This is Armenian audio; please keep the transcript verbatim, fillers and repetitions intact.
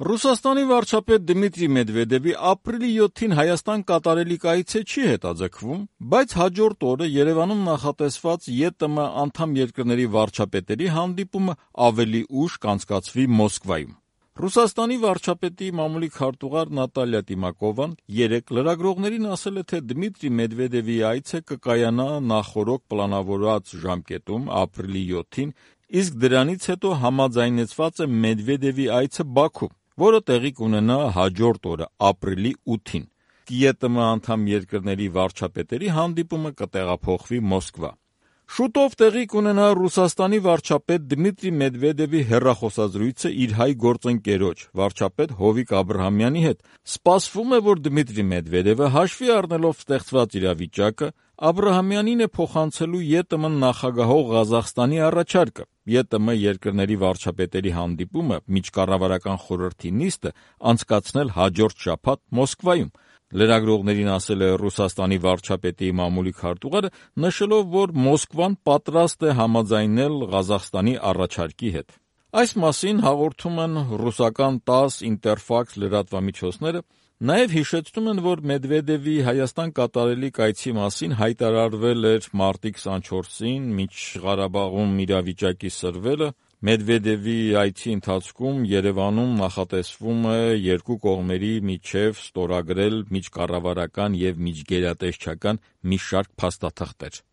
Ռուսաստանի վարչապետ Դմիտրի Մեդվեդևի ապրիլի յոթին Հայաստան կատարելիք այցը չի հետաձգվում, բայց հաջորդ օրը Երևանում նախատեսված ԵՏՄ անդամ երկրների վարչապետերի հանդիպումը ավելի ուշ կանցկացվի Մոսկվայում։ Ռուսաստանի վարչապետի մամուլի քարտուղար Նատալիա Տիմակովան երեկ լրագրողներին ասել է, թե Դմիտրի Մեդվեդևի այցը կկայանա նախօրոք պլանավորված ժամկետում ապրիլի յոթին, իսկ դրանից հետո համաձայնեցված է Մեդվեդևի այցը Բաքու, որը տեղի կունենա հաջորդ օրը ապրիլի ութին։ ԵՏՄ անդամ երկրների վարչապետերի հանդիպումը կտեղափոխվի Մոսկվա։ Շուտով տեղի կունենա Ռուսաստանի վարչապետ Դմիտրի Մեդվեդևի հեռախոսազրույցը իր հայ գործընկերոջ, վարչապետ Հովիկ Աբրահամյանի հետ։ Սպասվում է, որ Դմիտրի Մեդվեդևը հաշվի առնելով ստեղծված իրավիճակը, Աբրահամյանին է փոխանցելու ԵՏՄ նախագահող Ղազախստանի առաջարկը։ ԵՏՄ երկրների վարչապետերի հանդիպումը միջկառավարական խորհրդի նիստը անցկացնել հաջորդ շաբաթ Մոսկվայում։ Լրագրողներին ասել է Ռուսաստանի վարչապետի մամուլի քարտուղարը, նշելով, որ Մոսկվան պատրաստ է համաձայնել Ղազախստանի առաջարկի հետ։ Այս մասին հաղորդում են ռուսական տաս, Ինտերֆաքս լրատվամիջոցները, նաև հիշեցնում են, որ Մեդվեդևի Հայաստան կատարելիք այցի մասին հայտարարվել էր մարտի քսանչորսին, Միջղարաբաղում իրավիճակի սրվելը։ Մեդվեդևի այցի ընթացքում Երևանում նախատեսվում է երկու կողմերի միջև ստորագրել միջկառավարական և միջգերատեսչական մի շարք փաստաթղթեր։